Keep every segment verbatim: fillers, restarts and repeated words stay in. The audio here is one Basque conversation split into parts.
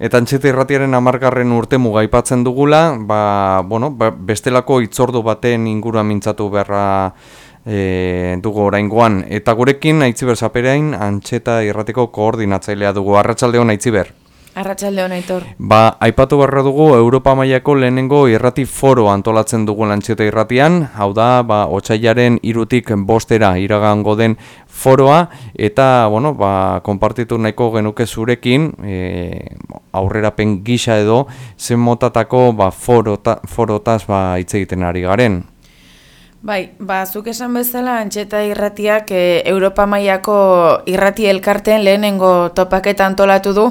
Eta Antxeta Irratiaren hamargarren urte muga aipatzen dugula, ba, bueno, ba, bestelako hitzordu baten inguruan mintzatu beharra e, dugu oraingoan. Eta gurekin Aitziber Zaperain, Antxeta Irratiko koordinatzailea dugu. Arratsalde on, Aitziber. Arratsalde on, Aitor. Ba, aipatu beharra dugu Europa mailako lehenengo irrati foro antolatzen dugu Antxeta Irratian, hau da, ba, otsailaren hirutik bostera iragango den foroa, eta, bueno, ba, konpartitu nahiko genuke zurekin, e, aurrerapen gisa edo, zen motatako, ba, forota, forotaz, ba, hitz egiten ari garen. Bai, ba, zuk esan bezala, Antxeta Irratiak e, Europa mailako irrati elkarteen lehenengo topaketa antolatu du,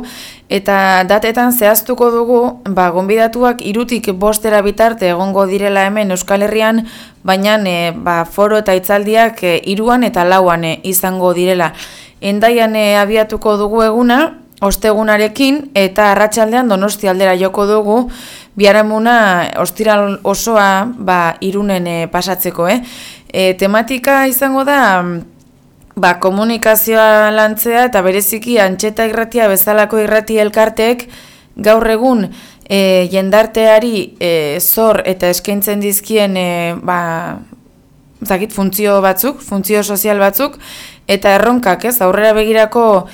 eta datetan zehaztuko dugu, ba, gonbidatuak hirutik bostera bitarte egongo direla hemen Euskal Herrian, baina e, ba, foro eta hitzaldiak e, hiruan eta lauan e, izango direla. Hendaian e, abiatuko dugu eguna, ostegunarekin, eta arratsaldean Donosti aldera joko dugu, biharamuna ostiral osoa ba, Irunen e, pasatzeko. Eh? E, tematika izango da ba, komunikazioa lantzea eta bereziki Antxeta Irratia bezalako irrati elkarteek gaur egun e, jendarteari e, zor eta eskaintzen dizkien e, ba, zakit, funtzio batzuk, funtzio sozial batzuk, eta erronkak, ez, aurrera begirako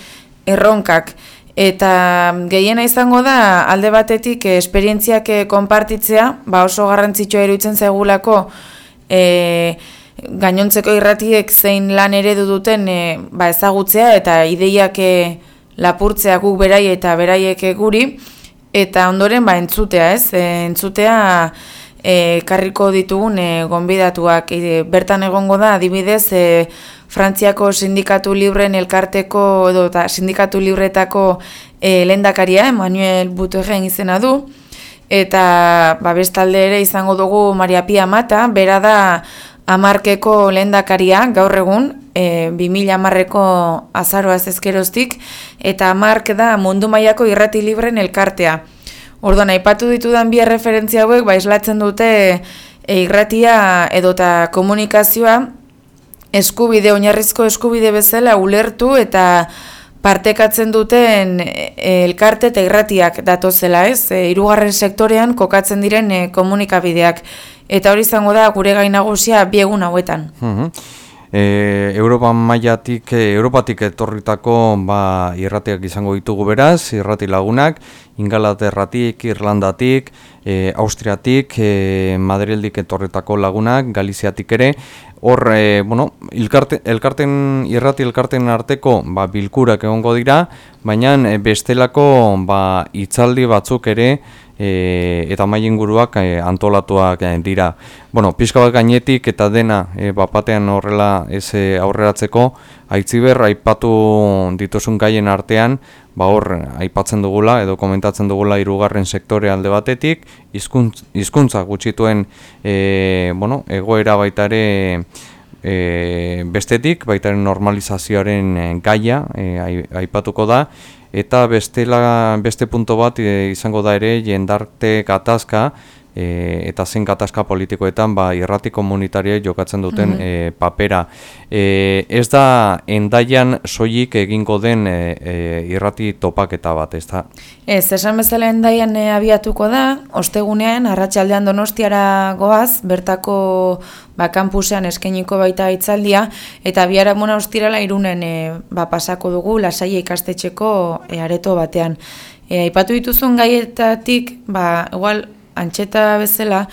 erronkak. Eta gehiena izango da alde batetik e, esperientziak e, konpartitzea, ba oso garrantzitsua iruditzen zaigulako e, gainontzeko irratiek zein lan eredu duten e, ba ezagutzea eta ideiak e, lapurtzea guk berai eta beraiek e, guri, eta ondoren ba entzutea, ez? E, entzutea e, karriko ditugun e, gonbidatuak. E, bertan egongo da adibidez e, Frantziako sindikatu libren elkarteko edo eta sindikatu libretako e, lehendakaria, Emmanuel Boutourren izena du, eta ba, bestalde ere izango dugu Maria Pia Mata, bera da hamarkeko lehendakaria gaur egun, e, bi mila hamarreko azaroaz ezkeroztik, eta hamark da mundu mailako irrati libren elkartea. Orduan, aipatu ditudan bi erreferentzia hauek ba, islatzen dute e, irratia edota komunikazioa eskubide, oinarrizko eskubide bezala ulertu eta partekatzen duten elkarte eta irratiak datozela, ez? E, hirugarren sektorean kokatzen diren e, komunikabideak. Eta hori izango da gure gai nagusia bi egun hauetan. Uh-huh. E, Europa mailatik, e, Europatik etorritako ba, irratiak izango ditugu beraz, irrati lagunak, Ingalaterratik, Irlandatik, e, Austriatik, e, Madrildik etorritako lagunak, Galiziatik ere. Hor, e, bueno, elkarte, elkarten, irrati elkarten arteko ba, bilkurak egongo dira, baina e, bestelako ba, hitzaldi batzuk ere e, eta mai inguruak e, antolatuak e, dira. Bueno, pixka bat gainetik eta dena e, bapatean horrela ez e, aurreratzeko, Aitziber aipatu dituzun gaien artean, ba hor aipatzen dugula edo komentatzen dugula hirugarren sektore alde batetik, hizkuntz, hizkuntza gutxituen e, bueno, egoera baita ere e, bestetik, baita ere normalizazioaren e, gaia e, aipatuko da, eta bestela, beste punto bat e, izango da ere jendarte gatazka, E, eta zen gatazka politikoetan ba, irrati komunitariek jokatzen duten mm-hmm. e, papera. E, ez da Hendaian soilik egingo den e, e, irrati topaketa bat, ez da? Ez, esan bezala Hendaian e, abiatuko da, ostegunean, arratsaldean Donostiara goaz, bertako ba, kampusean eskainiko baita hitzaldia, eta biharamuna ostirala Irunen e, ba, pasako dugu, Lasaia ikastetxeko e, areto batean. E, aipatu dituzun gaietatik, ba, igual, Antxeta bezala,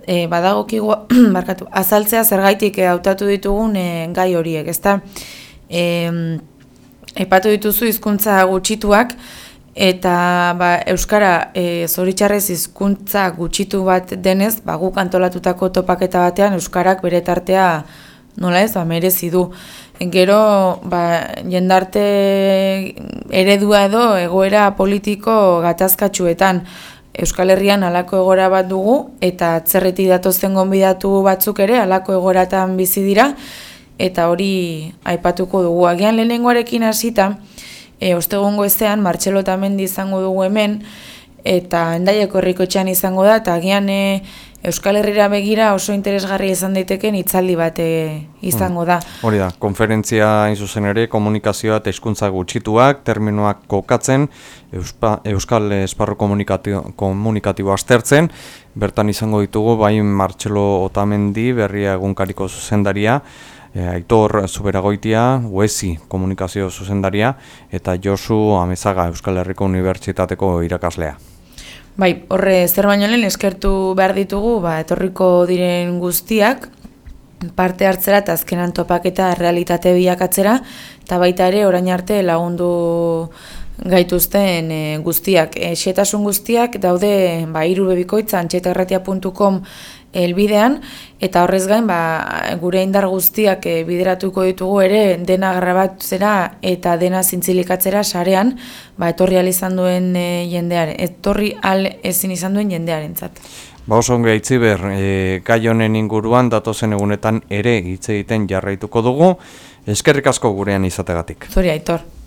e, badagokigu, barkatu, azaltzea zergaitik hautatu ditugun e, gai horiek, ezta? E, aipatu dituzu hizkuntza gutxituak, eta ba, Euskara e, zoritxarrez hizkuntza gutxitu bat denez, ba, guk antolatutako topaketa batean Euskarak bere tartea nola ez, ba, merezi du. Gero, ba, jendarte eredua edo egoera politiko gatazkatsuetan, Euskal Herrian halako egora bat dugu, eta atzerritik datozen gonbidatu batzuk ere halako egoratan bizi dira, eta hori aipatuko dugu. Agian lehenengoarekin hasita, e, ostegungo ezean, Martxelo Otamendi izango dugu hemen, eta Hendaiako herrikotxean izango da, eta agian e, Euskal Herrira begira oso interesgarria izan daiteken hitzaldi bat e, izango da. Hori da, konferentzia hain zuzen ere, komunikazioa eta hizkuntza gutxituak, terminoak kokatzen, Euspa, Euskal Esparru komunikatio, komunikatibo aztertzen, bertan izango ditugu, bai Martxelo Otamendi, Berria egunkariko zuzendaria, e, Aitor Zuberagoitia, Uesi komunikazio zuzendaria, eta Josu Amezaga, Euskal Herriko Unibertsitateko irakaslea. Bai, horre zer baino lehen eskertu behar ditugu, ba, etorriko diren guztiak, parte hartzera eta azkenan topaketa realitate bilakatzera, eta baita ere orain arte lagundu gaituzten e, guztiak. E, xetasun guztiak daude ba, irubebikoitza antxetairratia puntu com elbidean, eta horrez gain ba, gure indar guztiak e, bideratuko ditugu ere dena grabatzera eta dena zintzilikatzera sarean, ba, etorri al izan duen e, jendearen, etorri al ezin izan duen jendearentzat. Ba oso ongi Aitziber, e, gai honen inguruan datozen egunetan ere hitz egiten jarraituko dugu. Eskerrik asko gurean izategatik. Zuri Aitor.